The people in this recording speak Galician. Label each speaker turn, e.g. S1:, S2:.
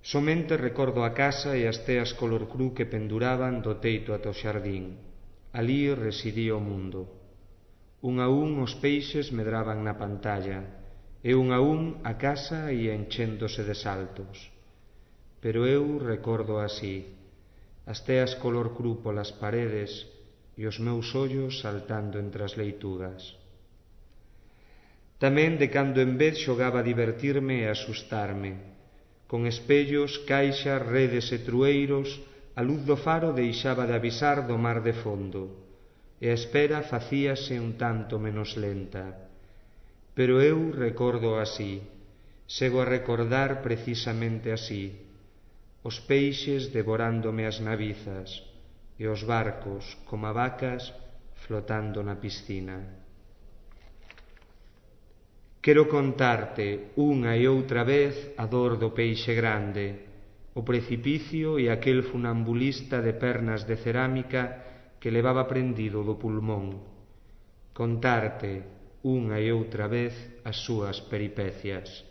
S1: Somente recordo a casa e as teas color cru que penduraban do teito ata o xardín. Alí residía o mundo. Un a un os peixes medraban na pantalla, e un a un a casa ia enchéndose de saltos. Pero eu recordo así, as teas color cru polas paredes e os meus ollos saltando entre as leitugas. Tamén de cando en vez xogaba a divertirme e a asustarme. Con espellos, caixas, redes e trueiros, a luz do faro deixaba de avisar do mar de fondo, e a espera facíase un tanto menos lenta. Pero eu recordo así, sego a recordar precisamente así, os peixes devorándome as navizas, e os barcos, como vacas, flotando na piscina. Quero contarte unha e outra vez a dor do peixe grande, o precipicio e aquel funambulista de pernas de cerámica que levaba prendido do pulmón. Contarte unha e outra vez as súas peripecias.